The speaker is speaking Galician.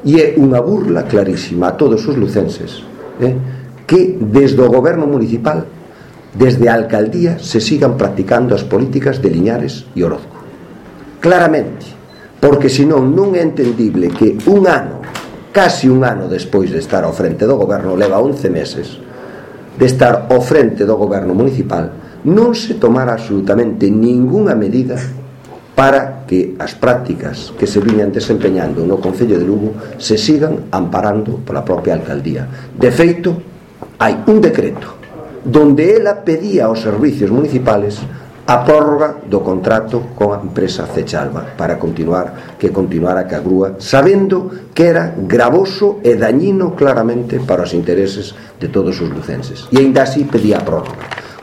E é unha burla clarísima a todos os lucenses que desde o goberno municipal, desde a alcaldía, se sigan practicando as políticas de Liñares e Orozco. Claramente, porque senón non é entendible que un ano, casi un ano despois de estar ao frente do goberno, leva 11 meses de estar ao frente do goberno municipal, non se tomara absolutamente ningunha medida para que as prácticas que se viñan desempeñando no Concello de Lugo se sigan amparando pola propia alcaldía. De feito, hai un decreto donde ela pedía aos servicios municipales a prórroga do contrato con a empresa Cechalva para que continuara ca grúa, sabendo que era gravoso e dañino claramente para os intereses de todos os lucenses, e aínda así pedía a prórroga.